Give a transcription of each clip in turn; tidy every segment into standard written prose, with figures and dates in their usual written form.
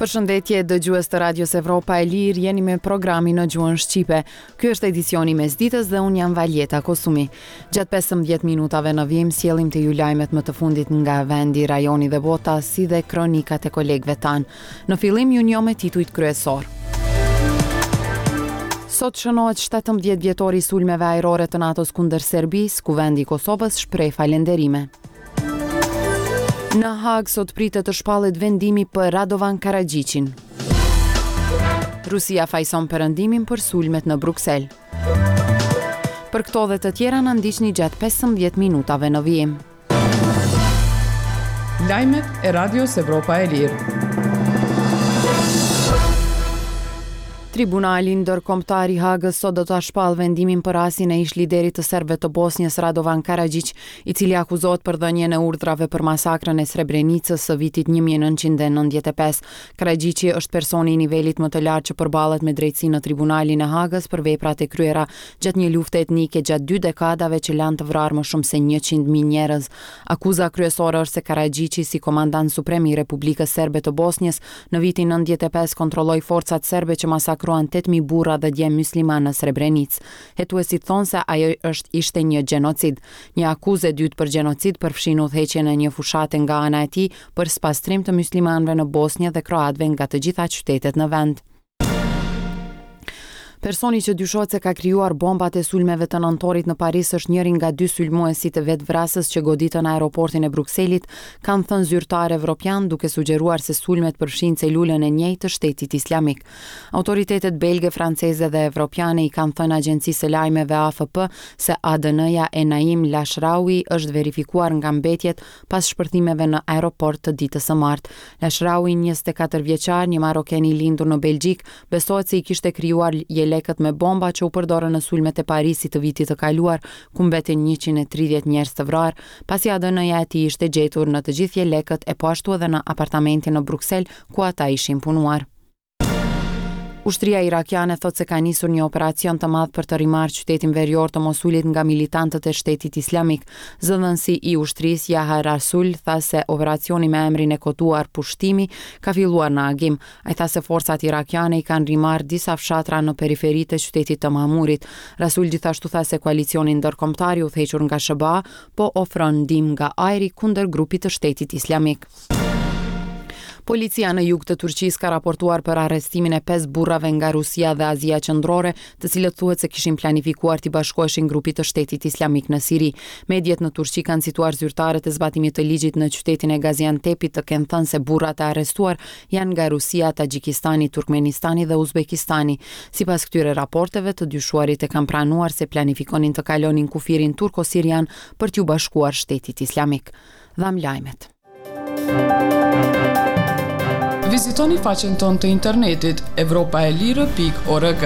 Përshëndetje dëgjues të Radios Evropa e Lirë, jeni me programin në gjuhën shqipe. Ky është edicioni i mesditës dhe unë jam Valjeta Kosumi. Gjatë 15 minutave në vijim sjellim te ju lajmet më të fundit nga vendi, rajoni dhe bota, si dhe kronikat e kolegëve tanë. Në fillim ju njoh me titujt kryesorë. Sot shënohet 17 vjetori i sulmeve ajrore të NATO-s kundër Serbisë, Kuvendi i Kosovës shpreh falënderime. Në Hagë sot pritet të shpallet vendimi për Radovan Karaxhiqin. Rusia fajëson Perëndimin për sulmet në Bruksel. Për këto dhe të tjera na ndiqni gjatë 15 minutave në vijim. Lajmet e Radios Evropa e Lirë. Tribunali Ndërkombëtar i Hagës sot do ta shpallë vendimin për rastin e ish-liderit të serbëve të Bosnjës, Radovan Karaxhiq, i cili akuzohet për dhënien e urdhrave për masakrën e Srebrenicës së vitit 1995. Karaxhiqi është personi i nivelit më të lartë që përballet me drejtësinë në Tribunalin e Hagës për veprat e kryera gjatë një lufte etnike gjatë dy dekadave që lanë të vrarë më shumë se 100.000 njerëz. Akuza kryesore është se Karaxhiqi si komandant suprem i Republikës Serbe të Bosnjës në vitin 95 kontrolloi forcat serbe që masakruan 8.000 burra dhe djem myslimanë në Srebrenicë. Hetuesit thonë se ajo është ishte një gjenocid. Një akuzë e dytë për gjenocid përfshin udhëheqjen e një fushate nga ana e tij për spastrim të myslimanëve në Bosnjë dhe kroatëve nga të gjitha qytetet në vend. Personi që dyshohet se ka krijuar bombat e sulmeve të nëntorit në Paris është njëri nga dy sulmuesit vetëvrasës që goditën aeroportin e Brukselit, kanë thënë zyrtarë evropianë, duke sugjeruar se sulmet përfshijnë celulën e njëjtë të Shtetit Islamik. Autoritetet belge, franceze dhe evropiane i kanë thënë agjencisë së lajmeve AFP se ADN-ja e Naim Lashraoui është verifikuar nga mbetjet pas shpërthimeve në aeroport të ditës së martë. Lashraoui, 24 vjeçar, një maroken i lindur në Belgjikë, besohet se i kishte krijuar jelekët me bomba që u përdorën në sulmet e Parisit të vitit të kaluar, ku mbetën 130 njerëz të vrarë, pasi ADN-ja e tij ishte gjetur në të gjithë jelekët e po ashtu edhe në apartamentin në Bruksel ku ata ishin punuar. Ushtria irakiane thotë se ka nisur një operacion të madh për të rimarrë qytetin verior të Mosulit nga militantët e Shtetit Islamik. Zëdhënësi i ushtrisë Jaha Rasul tha se operacioni me emrin e koduar Pushtimi ka filluar në agim. Ai tha se forcat irakiane i kanë rimarrë disa fshatra në periferi të qytetit të Mamurit. Rasul gjithashtu tha se koalicioni ndërkombëtar i udhëhequr nga SHBA po ofron ndihmë nga ajri kundër grupit të Shtetit Islamik. Policia në jug të Turqisë ka raportuar për arrestimin e 5 burrave nga Rusia dhe Azia Qendrore, të cilët thuhet se kishin planifikuar t'i bashkoheshin grupit të Shtetit Islamik në Siri. Mediet në Turqi kanë cituar zyrtarët e zbatimit të ligjit në qytetin e Gaziantepit të kenë thënë se burrat e arrestuar janë nga Rusia, Taxhikistani, Turkmenistani dhe Uzbekistani. Sipas këtyre raporteve, të dyshuarit e kanë pranuar se planifikonin të kalonin kufirin turko-sirian për t'iu bashkuar Shtetit Islamik. Dhamë lajmet. Vizitoni faqen tonë të internetit evropaelire.org.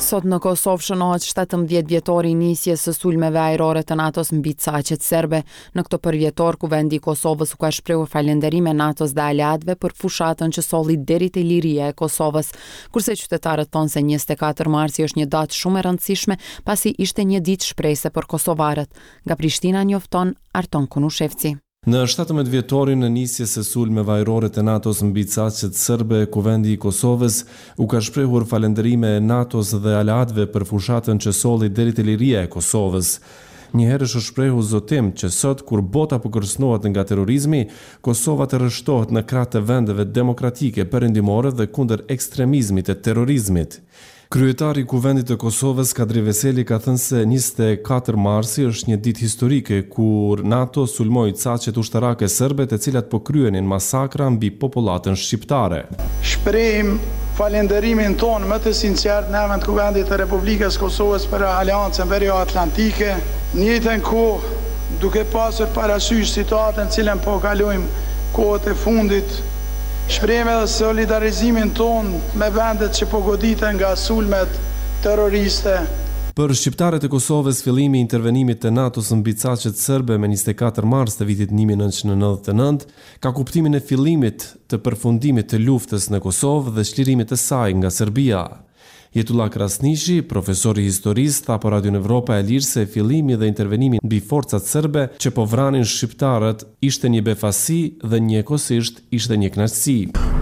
Sot në Kosovë shënohet 17 vjetori i nisjes së sulmeve ajrore të NATO-s mbi caqet serbe. Në këtë përvjetor, Kuvendi i Kosovës u ka shprehur falënderime NATO-s dhe aleatëve për fushatën që solli deri te liria e Kosovës. Kurse qytetarët thonë se 24 marsi është një datë shumë e rëndësishme, pasi ishte një ditë shprese për kosovarët. Nga Prishtina njofton Arton Konushevci. Në 17 vjetorin e nisjes së sulmeve ajrore të NATO-s mbi caqet serbe, Kuvendi i Kosovës u ka shprehur falënderime NATO-s dhe aleatëve për fushatën që solli deri te liria e Kosovës. Njëherësh u shprehu zotim që sot, kur bota po kërcënohet nga terrorizmi, Kosova të rreshtohet në krah të vendeve demokratike perëndimore dhe kundër ekstremizmit e terrorizmit. Kryetari i Kuvendit të Kosovës, Kadri Veseli ka thënë se 24 marsi është një ditë historike kur NATO sulmoi caqet ushtarake serbe të cilat po kryenin masakra mbi popullatën shqiptare. Shprehim falënderimin tonë më të sinqertë në emër të Kuvendit të Republikës së Kosovës për Aleancën Verio-Atlantike, në njëjtën kohë duke pasur parasysh situatën të cilën po kalojmë kohët e fundit, Shprehim edhe solidarizimin tonë me vendet që po goditen nga sulmet terroriste. Për shqiptarët e Kosovës, fillimi i intervenimit të NATO-s mbi caqet serbe me 24 mars të vitit 1999 ka kuptimin e fillimit të përfundimit të luftës në Kosovë dhe çlirimit të saj nga Serbia. Jetullah Krasniqi, profesor i historisë, tha për Radion Evropa e Lirë se fillimi dhe intervenimi mbi forcat serbe që po vranin shqiptarët ishte një befasi dhe njëkohësisht ishte një kënaqësi.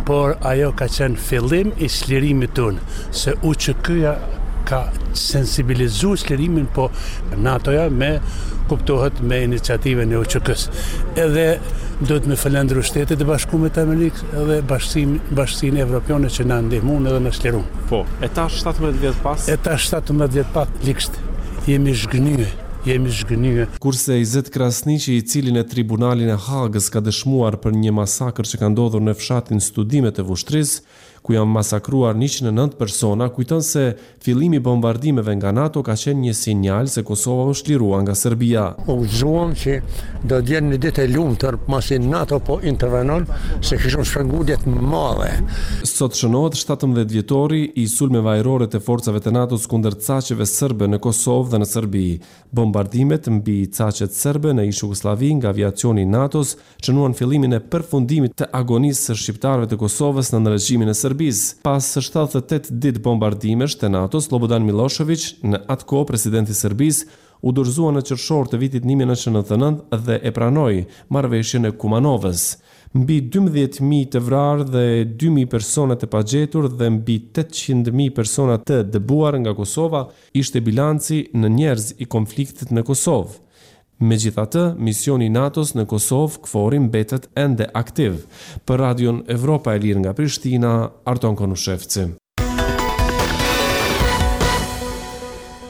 Por ajo ka qenë fillim i çlirimit tonë, se UÇK-ja ka sensibilizu çlirimin, po NATO-ja me kuptohet me iniciativën e UÇK-së. Edhe duhet me falënderu Shtetet e Bashkume të Amerikës edhe bashkësinë bashkësinë evropiane që na ndihmuan edhe na çliruan. Po, e tash 17 vjet pas? E tash 17 vjet pas ligsht jemi zhgënjye, jemi zhgënjye. Kurse Izet Krasniqi, i cili në Tribunalin e Hagës ka dëshmuar për një masakër që ka ndodhur në fshatin Studime të Vushtrrisë, ku janë masakruar 109 persona, kujton se fillimi i bombardimeve nga NATO ka qenë një sinjal se Kosova u çlirua nga Serbia. U gëzuam që do të jenë një ditë e lumtur pasi NATO po intervenon, se kishim shpengu jetë të madhe. Sot shënohet 17 vjetori i sulmeve ajrore të forcave të NATO-s kundër caqeve serbe në Kosovë dhe në Serbi. Bombardimet mbi caqet serbe në ish-Jugosllavi nga aviacioni i NATO-s shënuan fillimin e përfundimit të agonisë së shqiptarëve të Kosovës nën regjimin e Serbisë. Pas 78 ditë bombardimesh të NATO-s, Sllobodan Millosheviq, në atë kohë president i Serbisë, u dorëzua në qershor të vitit 1999 dhe e pranoi marrëveshjen e Kumanovës. Mbi 12.000 të vrarë dhe 2.000 persona të pagjetur dhe mbi 800.000 persona të dëbuar nga Kosova ishte bilanci në njerëz i konfliktit në Kosovë. Megjithatë, misioni i NATO-s në Kosovë, KFOR-i mbetet ende aktiv. Për Radion Evropa e Lirë nga Prishtina, Arton Konushevci.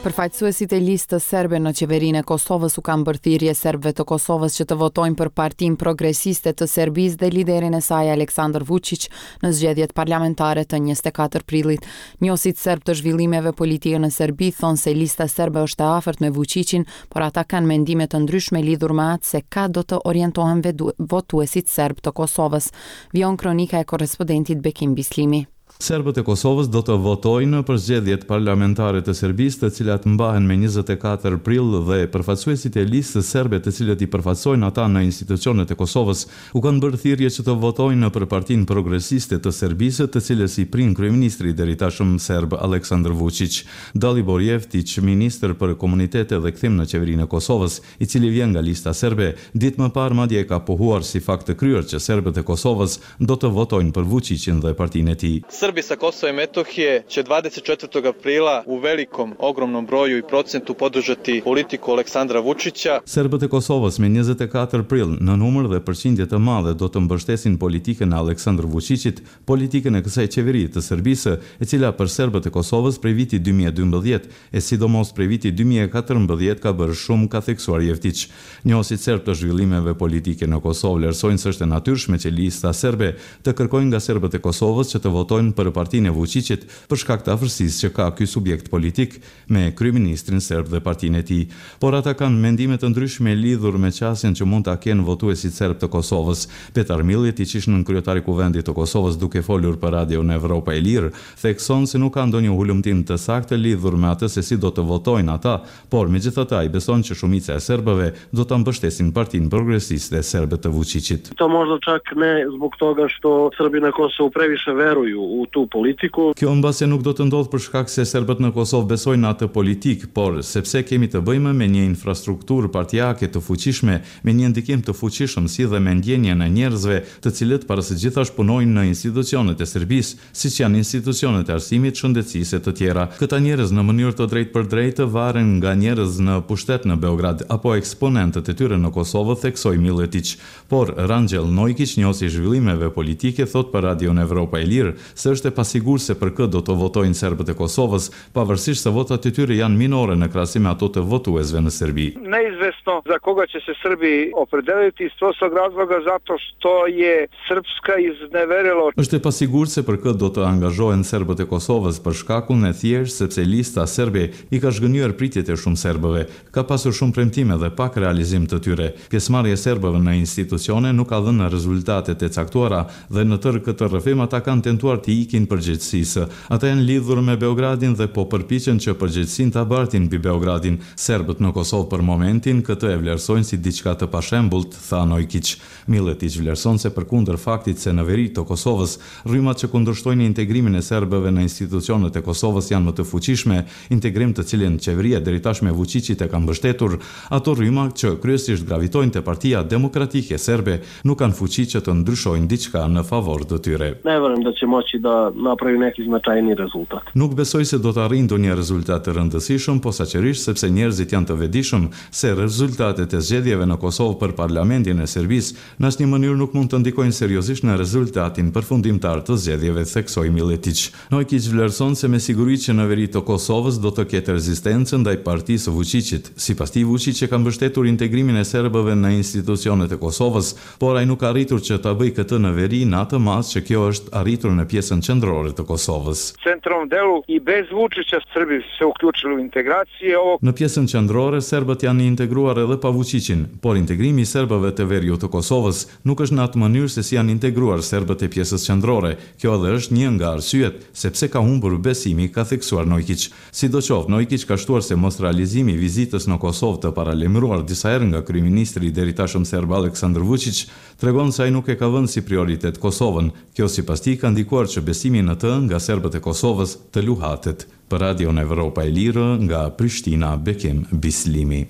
Përfaqësuesit e listës serbe në qeverinë e Kosovës u kanë bërë thirrje serbëve të Kosovës që të votojnë për Partinë Progresiste të Serbisë dhe liderin e saj Aleksandar Vučić në zgjedhjet parlamentare të 24 prillit. Njohësit serbë të zhvillimeve politike në Serbi thonë se lista serbe është e afërt me Vučićin, por ata kanë mendime të ndryshme lidhur me atë se ka do të orientohen votuesit serbë të Kosovës. Vijon kronika e korrespondentit Bekim Bislimi. Serbët e Kosovës do të votojnë për zgjedhjet parlamentare të Serbisë, të cilat mbahen me 24 prill dhe përfaqësuesit e listës serbe të cilët i përfaqësojnë ata në institucionet e Kosovës, u kanë bërë thirrje që të votojnë për Partinë Progresiste të Serbisë, të cilës i prin kryeministri i deritashëm serb Aleksandar Vuçiq. Dalibor Jevtiq, ministër për Komunitete dhe Kthim në Qeverinë e Kosovës, i cili vjen nga Lista Serbe, ditë më parë madje e ka pohuar si fakt të kryer që serbët e Kosovës do të votojnë për Vuçiqin dhe partinë e tij. Srbi sa Kosova i Metohije će 24. aprila u velikom, ogromnom broju i procentu podržati politiku Aleksandra Vučića. Serbët e Kosovës me 24 prill, në numër dhe përqindje të madhe do të mbështesin politikën e Aleksandër Vuçiqit, politikën e kësaj qeverie të Serbisë, e cila për serbët e Kosovës prej vitit 2012, e sidomos prej vitit 2014 ka bërë shumë, ka theksuar Jevtiq. Njohësit serbë të zhvillimeve politike në Kosovë vlerësojnë se është e natyrshme që lista serbe të kërkojë nga serbët e Kosovës që të votojnë për partinë e Vuçiqit për shkak të afërsisë që ka ky subjekt politik me kryeministrin serb dhe partinë e tij. Por ata kanë mendime të ndryshme lidhur me qasjen që mund ta kenë votuesit serbë të Kosovës. Petar Milletiq, ish nënkryetar i Kuvendit të Kosovës duke folur për Radion Evropa e Lirë, thekson se nuk ka ndonjë hulumtim të saktë lidhur me atë se si do të votojnë ata, por megjithatë ai beson që shumica e serbëve do ta mbështesin Partinë Progresiste Serbe të Vuçiqit. To možda čak ne zbog toga što Srbi na Kosovu previše veruju u tu politiku. Kjo mbase nuk do të ndodhë për shkak se serbët në Kosovë besojnë në atë politikë, por sepse kemi të bëjmë me një infrastrukturë partiake të fuqishme, me një ndikim të fuqishëm si dhe me ndjenjën e njerëzve, të cilët para së gjithash punojnë në institucionet e Serbisë, siç janë institucionet e arsimit, shëndetësisë e të tjera. Këta njerëz në mënyrë të drejtpërdrejtë varen nga njerëz në pushtet në Beograd apo eksponentët e tyre në Kosovë, theksoi Milletiq. Por, Rangjel Nojkiq, njohës i zhvillimeve politike, thotë për Radion Evropa e Lirë se është e pasigurt se për kë do të votojnë serbët e Kosovës, pavarësisht se votat e tyre janë minore në krahasim me ato të votuesve në Serbi. Neizvesno za koga će se Srbi opredeliti iz prostog razloga zato što je Srpska izneverila. Është e pasigurt se për kë do të angazhohen serbët e Kosovës për shkakun e thjeshtë sepse lista serbe i ka zhgënjyer pritjet e shumë serbëve. Ka pasur shumë premtime dhe pak realizim të tyre. Pjesëmarrja e serbëve në institucione nuk ka dhënë rezultatet e caktuara dhe në tërë këtë rrëfim ata kanë tentuar t'i ikin përgjegjësisë. Ata janë lidhur me Beogradin dhe po përpiqen që përgjegjësinë ta bartin mbi Beogradin. Serbët në Kosovë për momentin këtë e vlerësojnë si diçka të pashembullt, tha Nojkiq. Milletiq vlerëson se përkundër faktit se në veri të Kosovës, rrymat që kundërshtojnë integrimin e serbëve në institucionet e Kosovës janë më të fuqishme, integrim të cilin qeveria e deritashme e Vuçiqit e ka mbështetur, ato rryma që kryesisht gravitojnë te Partia Demokratike Serbe nuk kanë fuqi që të ndryshojnë diçka në favor të tyre. Ne verujem da će moći da naprave neki značajniji rezultat. Nuk besoj se do të arrijnë ndonjë rezultat të rëndësishëm, posaçërisht sepse njerëzit janë të vetëdijshëm se rezultatet e zgjedhjeve në Kosovë për Parlamentin e Serbisë në asnjë mënyrë nuk mund të ndikojnë seriozisht në rezultatin përfundimtar të zgjedhjeve, theksoi Milletiq. Nojkiq vlerëson se me siguri që në veri të Kosovës do të ketë rezistencë ndaj partisë së Vuçiqit. Sipas tij, Vuçiq e ka mbështetur integrimin e serbëve në institucionet e Kosovës, Por ai nuk ka arritur që ta bëjë këtë në veri në atë masë që kjo është arritur në pjesën qendrore të Kosovës. Centralnom delu i bez Vučića Srbi su se uključili u integracije ovog. Në pjesën qendrore serbët janë integruar edhe pa Vuçiqin, por integrimi i serbëve të veriut të Kosovës nuk është në atë mënyrë se si janë integruar serbët e pjesës qendrore. Kjo edhe është një nga arsyet se pse ka humbur besimi, ka theksuar Nojkiq. Sidoqoftë, Nojkiq ka shtuar se mosrealizimi i vizitës në Kosovë të paralajmëruar disa herë nga kryeministri i deritashëm serb Aleksandër Vuçiq, tregon se ai nuk e ka vënë si prioritet Kosovën. Kjo sipas tij ka ndikuar që besimi në të nga serbët e Kosovës të luhatet. Për Radion Evropa e Lirë, nga Prishtina, Bekim Bislimi.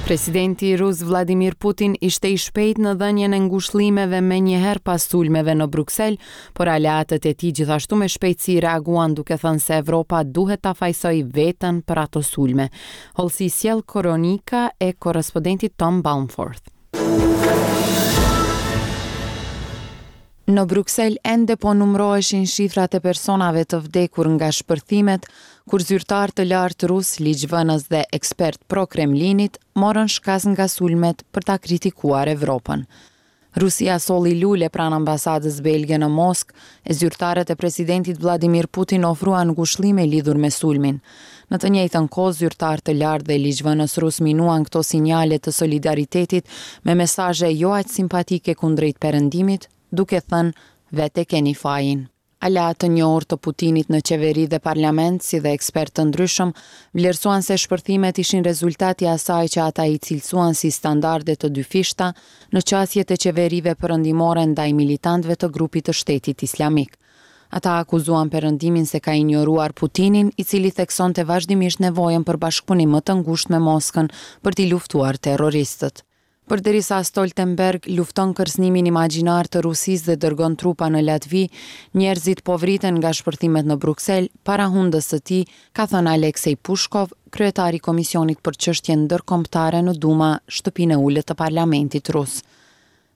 Presidenti rus Vladimir Putin ishte i shpejtë në dhënien e ngushëllimeve menjëherë pas sulmeve në Bruksel, por aleatët e tij gjithashtu me shpejtësi reaguan duke thënë se Evropa duhet ta fajësojë veten për ato sulme. Hollësi sjell kronika e korrespondentit Tom Balmforth. Në Bruksel ende po numëroheshin shifrat e personave të vdekur nga shpërthimet, kur zyrtarë të lartë rusë, ligjvënës dhe ekspertë pro-Kremlinit morën shkas nga sulmet për ta kritikuar Evropën. Rusia solli lule pranë ambasadës belge në Moskë, e zyrtarët e presidentit Vladimir Putin ofruan ngushëllime lidhur me sulmin. Në të njëjtën kohë, zyrtarë të lartë dhe ligjvënës rusë minuan këto sinjale të solidaritetit me mesazhe jo aq simpatike kundrejt Perëndimit, duke thënë vetë e keni fajin. Aleatë të njohur të Putinit në qeveri dhe parlament, si dhe ekspertë të ndryshëm, vlerësuan se shpërthimet ishin rezultat i asaj që ata i cilësuan si standarde të dyfishta në qasjet e qeverive perëndimore ndaj militantëve të grupit të Shtetit Islamik. Ata akuzuan Perëndimin se ka injoruar Putinin, i cili theksonte vazhdimisht nevojën për bashkëpunim më të ngushtë me Moskën për t'i luftuar terroristët. Përderisa Stoltenberg lufton kërcënimin imagjinar të Rusisë dhe dërgon trupa në Latvi, njerëzit po vriten nga shpërthimet në Bruksel, para hundës së tij, ka thënë Aleksej Pushkov, kryetar i Komisionit për Çështje Ndërkombëtare në Duma, shtëpinë e ulët të parlamentit rus.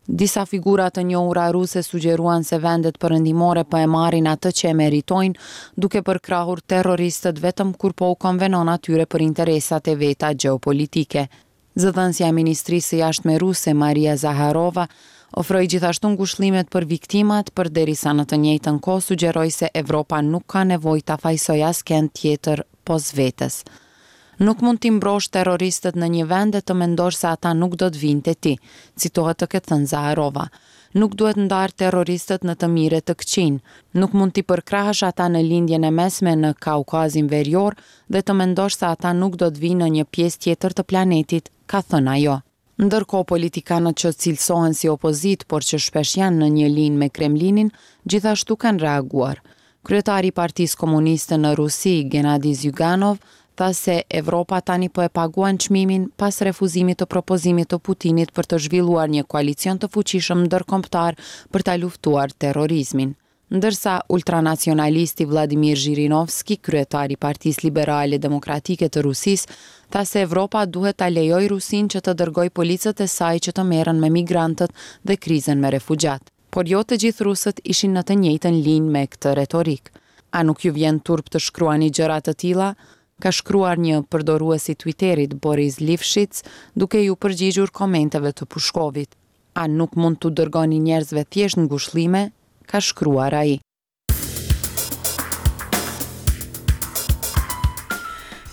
Disa figura të njohura ruse sugjeruan se vendet perëndimore po e marrin atë që e meritojnë, duke përkrahur terroristët vetëm kur po u konvenon atyre për interesat e veta gjeopolitike. Zëdhënësja e Ministrisë së Jashtme ruse, Maria Zaharova, ofroi gjithashtu ngushëllimet për viktimat, përderisa në të njëjtën kohë sugjeroi se Evropa nuk ka nevojë ta fajësojë askënd tjetër pos vetes. Nuk mund t'i mbrosh terroristët në një vend e të mendosh se ata nuk do të vijnë te ti, citohet të ketë thënë Zaharova. Nuk duhet ndarë terroristët në të mirë e të këqinj. Nuk mund t'i përkrahësh ata në Lindjen e Mesme në Kaukazin Verior dhe të mendosh se ata nuk do të vijnë në një pjesë tjetër të planetit, ka thënë ajo. Ndërkohë, politikanët që cilësohen si opozitë, por që shpesh janë në një linjë me Kremlinin, gjithashtu kanë reaguar. Kryetari i Partisë Komuniste në Rusi, Gennady Zyuganov, tha se Evropa tani po e paguan çmimin pas refuzimit të propozimit të Putinit për të zhvilluar një koalicion të fuqishëm ndërkombëtar për ta luftuar terrorizmin. Ndërsa, ultranacionalisti Vladimir Zhirinovsky, kryetar i Partisë Liberale Demokratike të Rusisë, tha se Evropa duhet ta lejojë Rusinë që të dërgojë policët e saj që të merren me migrantët dhe krizën me refugjatë. Por jo të gjithë rusët ishin në të njëjtën linjë me këtë retorikë. A nuk ju vjen turp të shkruani gjëra të tilla? ka shkruar një përdorues i Twitterit, Boris Lifshitz, duke iu përgjigjur komenteve të Pushkovit. A nuk mund t'u dërgoni njerëzve thjesht ngushëllime? ka shkruar ai.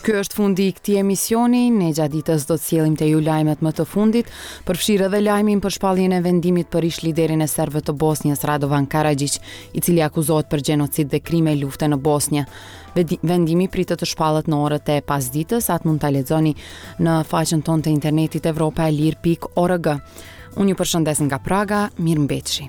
Ky është fundi i këtij emisioni. Ne gjatë ditës do të sjellim te ju lajmet më të fundit, përfshirë edhe lajmin për shpalljen e vendimit për ish-liderin e serbëve të Bosnjës, Radovan Karaxhiq, i cili akuzohet për gjenocid dhe krime lufte në Bosnjë. Vendimi pritet të shpallet në orët e pasditës, atë mund ta lexoni në faqen tonë të internetit evropaelire.org. Unë ju përshëndes nga Praga, mirëmbetshi.